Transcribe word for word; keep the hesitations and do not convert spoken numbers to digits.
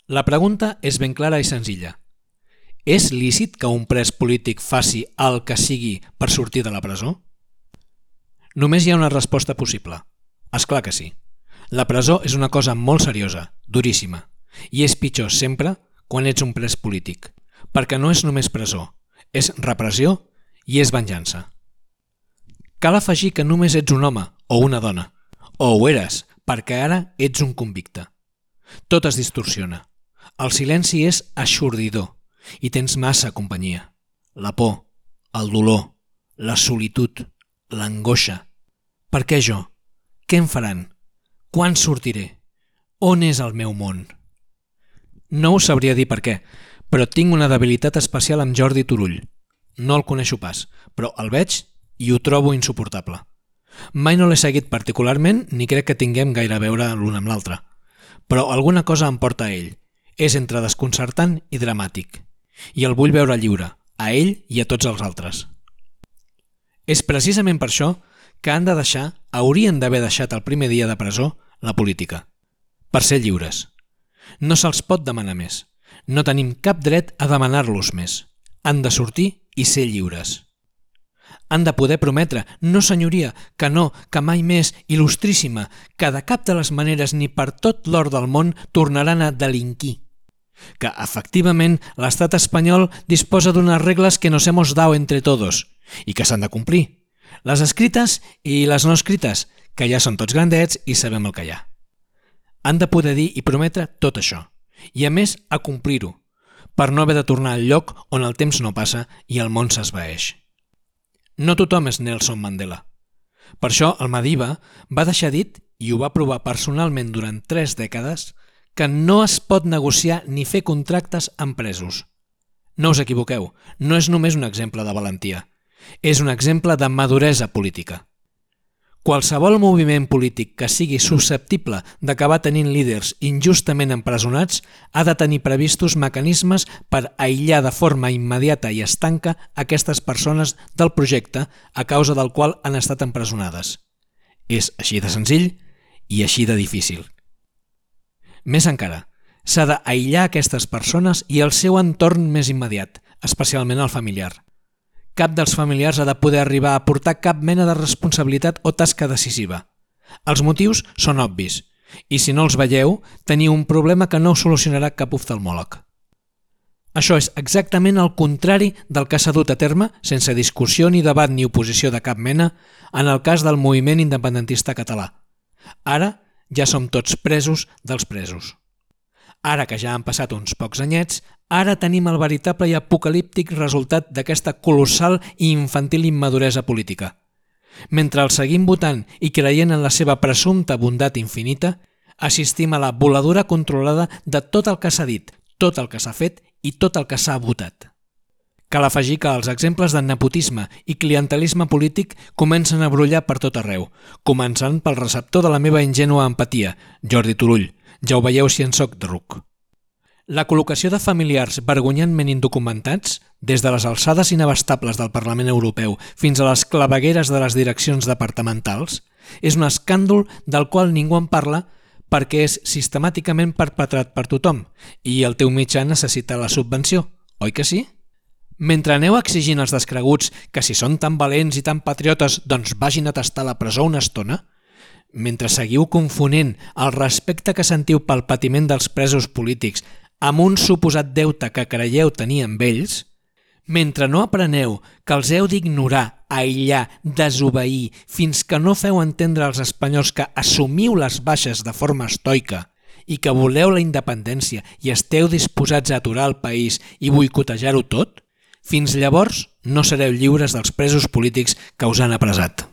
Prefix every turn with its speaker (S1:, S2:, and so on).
S1: La pregunta és ben clara i senzilla. És lícit que un pres polític faci el que sigui per sortir de la presó? Només hi ha una resposta possible. És clar que sí. La presó és una cosa molt seriosa, duríssima, i és pitjor sempre quan ets un pres polític, perquè no és només presó, és repressió i és venjança. Cal afegir que només ets un home o una dona, o ho eres, perquè ara ets un convicte. Tot es distorsiona. El silenci és eixordidor i tens massa companyia. La por, el dolor, la solitud, l'angoixa. Per què jo? Què em faran? Quan sortiré? On és el meu món? No us sabria dir per què, però tinc una debilitat especial amb Jordi Turull. No el coneixo pas, però el veig i ho trobo insuportable. Mai no l'he seguit particularment ni crec que tinguem gaire a veure l'un amb l'altre. Però alguna cosa em porta a ell. És entre desconcertant i dramàtic. I el vull veure lliure, a ell i a tots els altres. És precisament per això que han de deixar, haurien d'haver deixat el primer dia de presó, la política. Per ser lliures. No se'ls pot demanar més. No tenim cap dret a demanar-los més. Han de sortir i ser lliures. Han de poder prometre, no senyoria, que no, que mai més, il·lustríssima, que de cap de les maneres ni per tot l'or del món tornaran a delinquir. Que, efectivament, l'estat espanyol disposa d'unes regles que nos hemos dado entre todos i que s'han de complir. Les escrites i les no escrites, que ja són tots grandets i sabem el que hi ha. Han de poder dir i prometre tot això, i a més a complir-ho, per no haver de tornar al lloc on el temps no passa i el món s'esvaeix. No tothom és Nelson Mandela. Per això el Madiba va deixar dit, i ho va provar personalment durant tres dècades, que no es pot negociar ni fer contractes amb presos. No us equivoqueu, no és només un exemple de valentia, és un exemple de maduresa política. Qualsevol moviment polític que sigui susceptible d'acabar tenint líders injustament empresonats ha de tenir previstos mecanismes per aïllar de forma immediata i estanca aquestes persones del projecte a causa del qual han estat empresonades. És així de senzill i així de difícil. Més encara, s'ha d'aïllar aquestes persones i el seu entorn més immediat, especialment el familiar. Cap dels familiars ha de poder arribar a portar cap mena de responsabilitat o tasca decisiva. Els motius són obvis, i si no els veieu, teniu un problema que no solucionarà cap oftalmòleg. Això és exactament el contrari del que s'ha dut a terme, sense discussió ni debat ni oposició de cap mena, en el cas del moviment independentista català. Ara ja som tots presos dels presos. Ara que ja han passat uns pocs anyets, ara tenim el veritable i apocalíptic resultat d'aquesta colossal i infantil immaduresa política. Mentre els seguim votant i creient en la seva presumpta bondat infinita, assistim a la voladura controlada de tot el que s'ha dit, tot el que s'ha fet i tot el que s'ha votat. Cal afegir que els exemples de nepotisme i clientelisme polític comencen a brollar per tot arreu, començant pel receptor de la meva ingènua empatia, Jordi Turull. Ja ho veieu si en soc de ruc. La col·locació de familiars vergonyantment indocumentats, des de les alçades inabastables del Parlament Europeu fins a les clavegueres de les direccions departamentals, és un escàndol del qual ningú en parla perquè és sistemàticament perpetrat per tothom i el teu mitjà necessita la subvenció, oi que sí? Mentre aneu exigint als descreguts que si són tan valents i tan patriotes doncs vagin a tastar la presó una estona, mentre seguiu confonent el respecte que sentiu pel patiment dels presos polítics amb un suposat deute que creieu tenir amb ells, mentre no apreneu que els heu d'ignorar, aïllar, desobeir, fins que no feu entendre als espanyols que assumiu les baixes de forma estoica i que voleu la independència i esteu disposats a aturar el país i boicotejar-ho tot, fins llavors no sereu lliures dels presos polítics que us han apressat.